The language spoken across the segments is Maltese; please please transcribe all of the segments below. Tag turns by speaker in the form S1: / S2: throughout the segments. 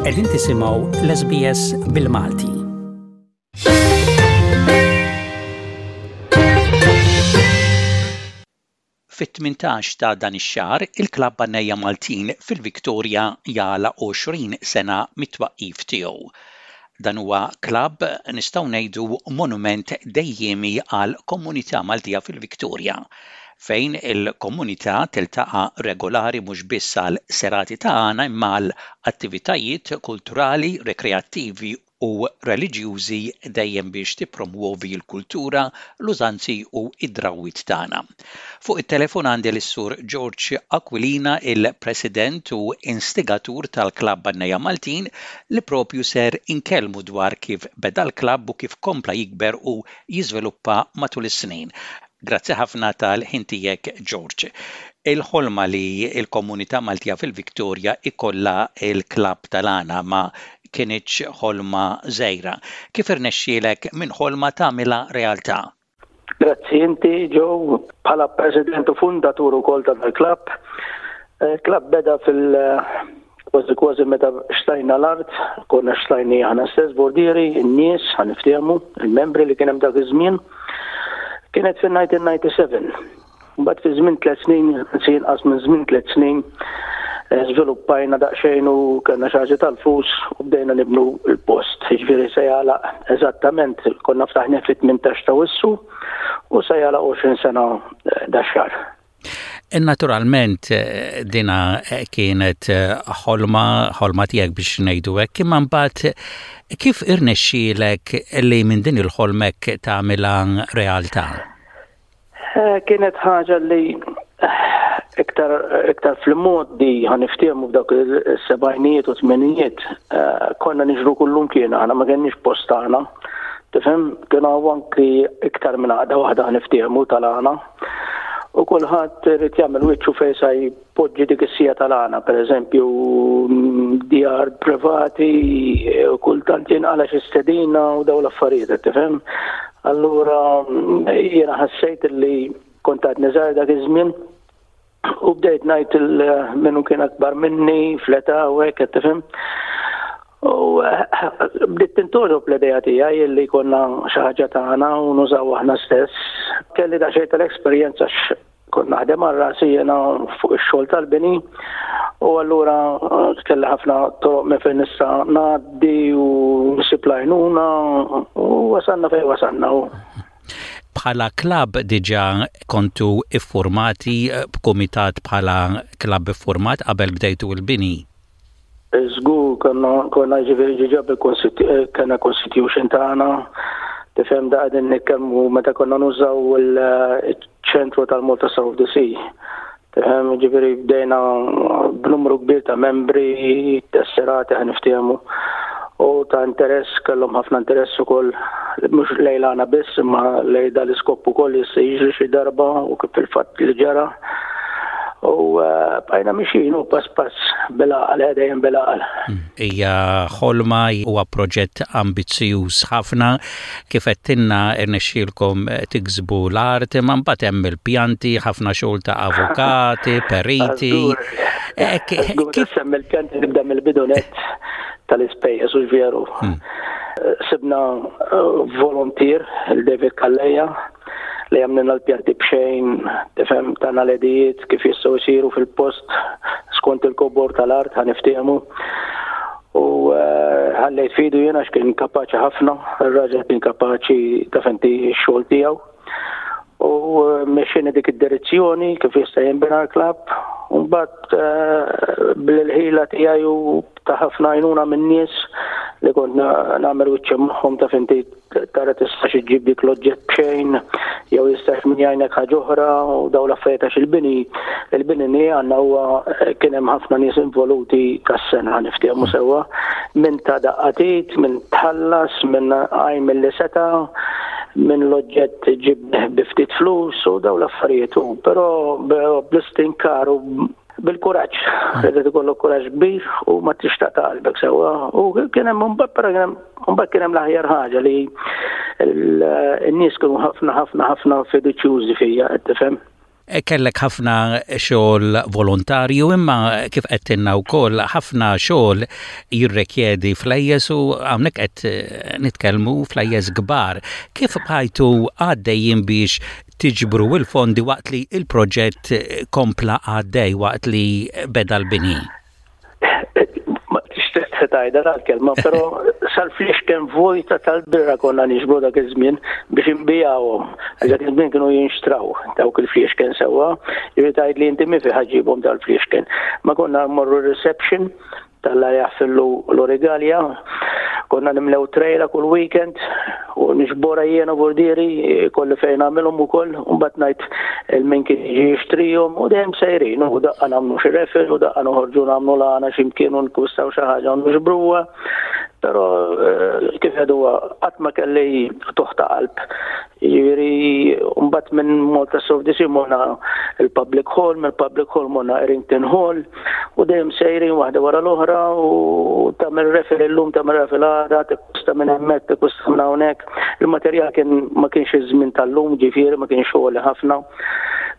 S1: Qegħdin tisimgħu l-SBS bil-Malti. Fit-18 ta' dan ix-xahar, il-Klabb Għannejja Maltin fil-Victoria jagħlaq 20 sena mit-twaqqif tiegħu. Dan huwa klabb nistgħu ngħidu monument dejjiemi għall-komunità Maltija fil-Victoria, fejn il-komunità tiltaqa' regolari mhux biss għal serati ta' għana imma għal attivitajiet kulturali, rekreattivi u reliġjużi dejjem biex tippromwovi l-kultura, l-użanzi u d-drawwiet tagħna. Fuq it-telefon għandi lis-Sur George Aquilina, il-President u instigatur tal-Klabb Għannejja Maltin li propju ser inkellmu dwar kif beda l-klabb u kif kompla jikber u jiżviluppa matul is-snin. Grazzi ħafna tal-ħin tiegħek George. Il-ħolma li l-komunità Maltija fil-Victoria ikollha l-klabb tal-għana ma kinitx ħolma żgħira. Kif irnexxielek minn ħolma tagħmilha realtà?
S2: Grazzi inti Joe, bħala president u fundatur ukoll ta' dal-klabb. Il-klabb beda fil- kważi kważi meta xtajna l-art, konna xtajni aħna stess bordieri, in-nies, ħaniftehmu, il-membri li kien hemm dak iż-żmien. Kienet fin-1997. Mbagħad fi żmien tliet snin, anzi inqas minn żmien tliet snin, eh, żviluppajna daqsxejn u kellna xi ħaġa tal-flus u bdejna nibnu l-post. Jiġifieri se jagħlaq eżattament konna ftaħna fit-18 ta' Wissu u se jagħlaq 20 sena eh, dax-xahar.
S1: Eh, naturalment dina kienet ħolma, ħolma tiegħek biex ngħidu hekk, imma mbagħad kif irnexxielek li minn din il-ħolmek tagħmilha realtà?
S2: Eh, kienet ħaġa li eh, iktar, iktar fil-modi ħaniftiemu f'dawk il-sebajnijiet u tmenijiet eh, konna niġru kullum kien aħna ma kenniex post tagħna. Tifhem, kien hawn anki iktar minn għaqda waħda ħaniftiemu tal-għana. U kulħadd irid jagħmel wiċċu fejn sa poġġi dik is-sija tal-għana, per eżempju, djar privati, kultant jinqala xi stedina u daw l-affarijiet, qed tifhem? Allura jiena ħassejt li kont għadni żgħir dak iż-żmien u bdejt ngħid minnu kien akbar minni fl-età u hekk qed tifhem. U eh, bdiet tintoġob l-idea tiegħi li konna xi ħaġa tagħna u nużaw aħna stess. Kelli daqsxejn tal-esperjenza Kont naħdem għal rasi jiena fuq ix-xogħol tal-bini u allura eh, kelli ħafna toroq minn fejn nista' ngħaddi u nsib l-għajnuna u wasalna fejn wasalna.
S1: Bħala klabb diġà kontu iffurmati eh, b'kumitat bħala klabb iffurmat qabel bdejtu l-bini?
S2: Żgur konna konna ġifieri ġiġa bil kellna constitution tagħna, tifhem da qegħdin nitkellmu meta konna nużaw il-ċentru tal-Malta South of the Sea. Tifhem ġifieri bdejna b'numru kbir ta' membri, tesserati ħa niftehmu u ta' interess kellhom ħafna interess ukoll mhux lejlana biss imma lej dal-iskop ukoll jista' jiġri xi darba u kif fil-fatt li ġara. U eh, bqajna mixin u pass pass bil-għaqal, eh, dejjem bil-għaqal.
S1: Hmm. Hija ħolma huwa proġett ambizzjuż ħafna kif qed irnexxielkom tiksbu l-art, imma mbagħad hemm il-pjanti, ħafna xogħol ta' avukati, periti.
S2: Eh, kif semmi l-pjanti nibda mill-bidu net tal-ispejjeż u veru. Hmm. Sibna volontier il-David Calleja li għamlilna l-pjanti b'xejn, tifhem tana l-edijiet kif jistgħu jsiru fil-post skont il-kobor tal-art ħa niftehmu. U eh, ħallejt fidu jiena x'kien kapaċi ħafna, ir-raġel kien kapaċi taf inti x-xogħol tiegħu. U eh, mexxini dik id-direzzjoni kif jista' jinbena l-klabb, u mbagħad eh, bil-ħila tiegħi u ta' ħafna għajnuna minn nies li kont nagħmel wiċċi magħhom taf inti tara tistax iġġib dik l-oġġett b'xejn jew jistax min jgħinek ħaġa oħra u daw l-affarijiet għax il-bini il-bini li għandna huwa eh, kien hemm ħafna nies involuti tas-sena niftehmu sewwa minn ta' daqqatit, minn tħallas, minn għajm li seta' minn l-oġġett ġib bi ftit flus u daw l-affarijiet u però bl-istinkar u bil-kuraġġ, irid ikollok kuraġġ kbir u ma tixtaq ta' qalbek sewwa. U kien hemm mbagħad però kien hemm mbagħad kien hemm l-aħjar ħaġa li n-nies kienu ħafna ħafna ħafna fiduċjużi fija, qed tifhem.
S1: Kellek ħafna xogħol volontarju imma kif għedtilna wkoll ħafna xogħol jirrekjedi flejjes u hawnhekk qed nitkellmu flejjes kbar. Kif bqajtu għaddejjin biex tiġbru l-fondi waqt li l-proġett kompla għaddej waqt li beda l-bini?
S2: Ma tixtieq tgħidha tal-kelma, però sal-fliexken vojta tal-birra konna niġbru dak iż-żmien biex inbijawhom. Għax dak iż-żmien kienu jinxtraw dawk il-fliexken sewwa, jiġifieri tgħid li inti min fih ġibhom dal-fliexken. Ma konna mmorru reception tal-la jaħfillu l-origalja, konna nimlew trejla kull weekend u nixbora jiena bordieri kolli fejn nagħmilhom ukoll u mbagħad ngħid il-min kien jiġi jixtrihom u dejjem sejrin u daqqa nagħmlu xi refil u daqqa noħorġu nagħmlu l-għana xi mkien u nkwistaw xi ħaġa u nixbruha. Però eh, kif għeduha qatt ma kelli toħta qalb. Jiġifieri mbagħad minn Malta Soft DC morna il-Public Hall, mill-Public Hall morna Errington Hall u dejjem sejrin waħda wara l-oħra u tagħmel refil illum tagħmel refil għada, tikkusta minn hemmhekk, tikkusta minn hawnhekk. Il-materjal kien ma kienx iż-żmien tal-lum, ġifieri ma kienx xogħol ħafna.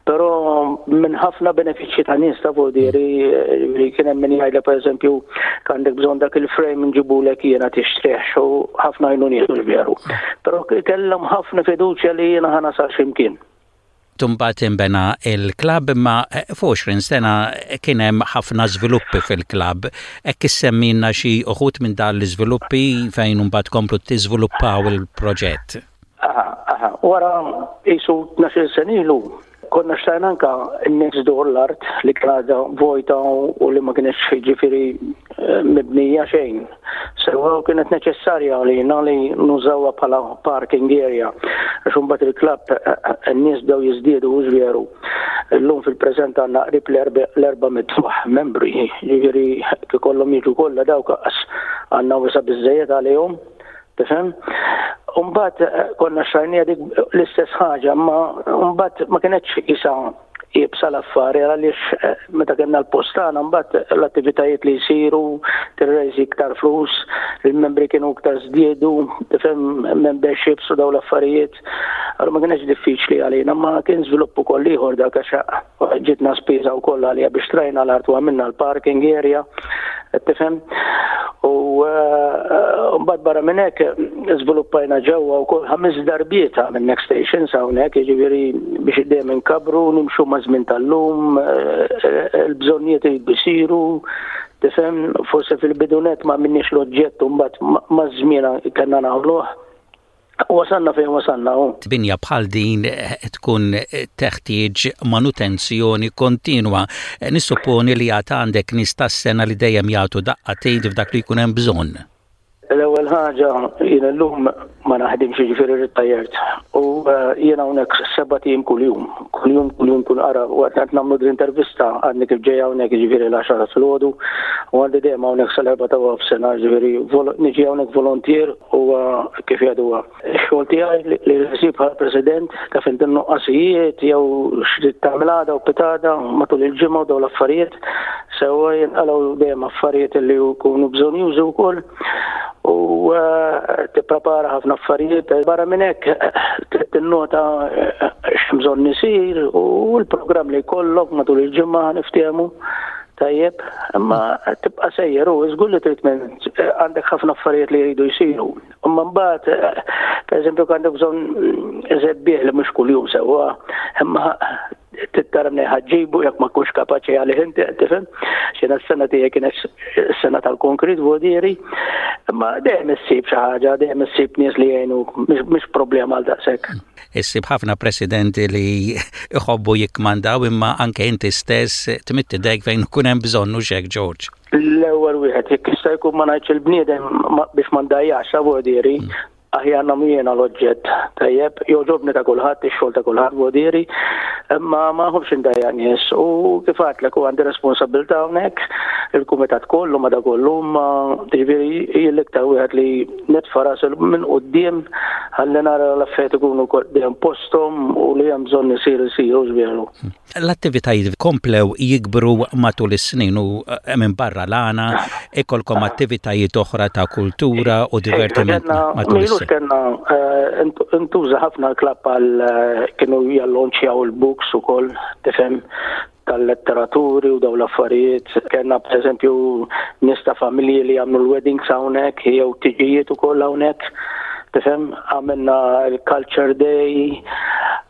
S2: Però minn ħafna benefiċċji ta' nies ta' vodieri, li kien hemm min jgħidlek pereżempju għandek bżonn dak il-frame nġibulek jiena tixtrih u ħafna għajnuniet mhux veru. Però kellhom ħafna fiduċja li jiena ħa nasal x'imkien.
S1: Imbagħad inbena l-klabb imma f'20 sena kien hemm ħafna żviluppi fil-klabb. Hekk issemmilna xi uħud minn dan l-iżviluppi fejn imbagħad tkomplu tiżviluppaw il-proġett.
S2: Aha, aha. Wara qisu 12-il sena ilu konna xtajna anka n-next door l-art li kien għadha vojta u li ma kienx ġifieri eh, mibnija xejn. Sewa kienet neċessarja għalina li nużawha bħala parking area. Għax imbagħad il-klabb eh, eh, n-nies bdew jiżdiedu u veru. Illum fil-preżent għandna qrib l-erba' mitfuħ membri, ġifieri ikollhom jiġu kollha dawk għandna wisa biżejjed għalihom. Tifhem? Umbagħad eh, konna xrajnija dik l-istess ħaġa, ma mbagħad ma kienetx isa jibsa l-affari għaliex eh, meta kellna l-postana mbagħad l-attivitajiet li jsiru tirrejżi iktar flus, il-membri kienu iktar żdiedu, tifhem memberships u daw l-affarijiet. Allura ma kienx diffiċli għalina, ma kien żvilupp ukoll ieħor dak għax ġitna spiża wkoll għalija biex trajna l-art u għamilna l-parking area, tifhem? U eh, mbagħad barra minn hekk żviluppajna ġewwa wkoll ħames darbiet minn next stations hawnhekk, jiġifieri biex dejjem inkabru, nimxu ma' żmien tal-lum, eh, il-bżonnijiet iridu jsiru, tifhem, forse fil-bidunet ma minniex l-oġġett u mbagħad maż-żmien kellna nagħmluh. Wasalna fejn wasalna hu.
S1: Binja bħal din tkun teħtieġ manutenzjoni kontinwa. Nissupponi li għad għandek nies tas-sengħa li dejjem jagħtu daqqa t'id f'dak li jkun hemm bżonn.
S2: L-ewwel ħaġa jien illum ma naħdimx jiġifieri rrittajert u eh, jien hawnhekk sebat ijiem kuljum, kuljum kuljum kull ara waqt qed nagħmlu din intervista għadni kif ġej hawnhekk jiġifieri l-għaxara filgħodu u għandi dejjem hawnhekk sal-erba' ta' nofsinhar jiġifieri niġi hawnhekk volontier Huwa kif jgħidu huwa x-xogħol tiegħi li nsib bħala president taf inti n-nuqqasijiet jew x'trid tagħmel għada u pitada matul il-ġimgħa u dawn l-affarijiet. Sewwa jinqalgħu dejjem affarijiet li jkunu bżonjużi wkoll u eh, tipprepara ħafna affarijiet. Barra minn hekk trid tinnota eh, x'hemm bżonn isir u l-programm li jkollok matul il-ġimgħa niftehmu. Tajjeb, imma tibqa' sejjer u żgur li trid minn għandek ħafna affarijiet li jridu jsiru. Imma mbagħad, pereżempju, għandek bżonn żebbieħ li mhux kuljum sewwa, imma trid tara minn ħaġġibu jekk ma tkunx kapaċi għalih inti qed tifhem. Xina s-sena tiegħi kienet s-sena tal-konkrit vodieri, imma dejjem issib xi ħaġa, dejjem issib nies li jgħinu, mhix problema għal daqshekk.
S1: Issib ħafna presidenti li jħobbu jikkmandaw imma anke inti stess tmidd idejk fejn ikun hemm bżonn hux hekk George?
S2: L-ewwel wieħed jekk jista' jkun ma ngħidx il-bniedem biex ma ndajjax sa vodieri, mm. aħjar nagħmlu jiena l-oġġett tajjeb, jogħġobni ta' kulħadd, ix-xogħol ta' kulħadd vodieri, imma ma nħobbx indajja nies u kif għadtlek u għandi responsabilità hawnhekk, il-kumitat kollu ma da kollu, ma ġifieri jien l-iktar wieħed li Nitfa' rasi minn quddiem ħalli nara l-affarijiet ikunu dejjem posthom u li hemm bżonn isir isir, hux veru?
S1: L-attivitajiet komplew jikbru matul is-snin u minbarra l-għana ikolkom attivitajiet oħra ta' kultura u divertiment matul is-snin.
S2: Mhux kellna eh, intuża ħafna l-klabb għal eh, kienu jallonċjaw il-books ukoll, tifhem, tal-letteraturi u daw l-affarijiet. Kellna pereżempju nies ta' familji li jagħmlu l-weddings hawnhekk jew tiġijiet ukoll hawnhekk. Tifhem, għamilna l-Culture Day,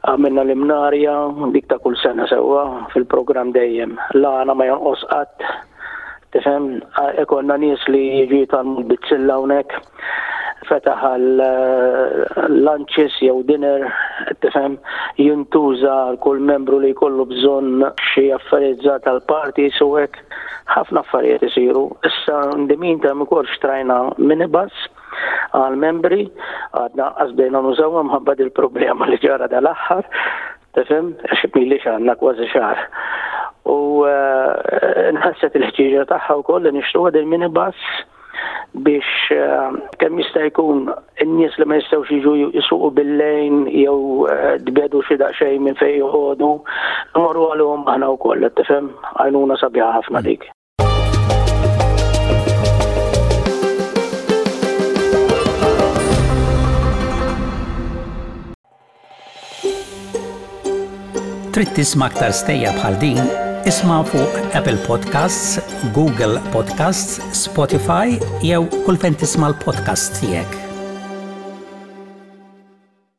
S2: għamilna l-imnarja, dik ta' kull sena sewwa fil-programm dejjem. L-għana ma jonqos qatt Tifhem, ikollna nies li jiġu jitgħallmu l-bizzilla hawnhekk, fetaħ għal eh, lunches jew dinner, tifhem, jintuża kull membru li jkollu bżonn xi affarijiet żgħar tal-party u hekk. Ħafna affarijiet isiru. Issa ndimin ta' ukoll xtrajna minibus għal membri, għadna qasbdejna nużawha mħabba dil-problema li ġara dal-aħħar. Tifhem? Għax m'ilix għandna kważi xahar. U eh, nħasset il-ħtieġa tagħha wkoll li nixtruha din minibus biex eh, kemm jista' jkun in-nies li ma jistgħux jiġu jisuqu bil-lejn jew eh, tbedu xi daqsxejn minn fejn joqogħdu, imorru għalihom aħna wkoll, tifhem? Għajnuna sabiħa ħafna dik.
S1: Trid tisma' aktar stejjer bħal din? Isma' fuq Apple Podcasts, Google Podcasts, Spotify jew kull fejn tisma' l-podcasts tiegħek.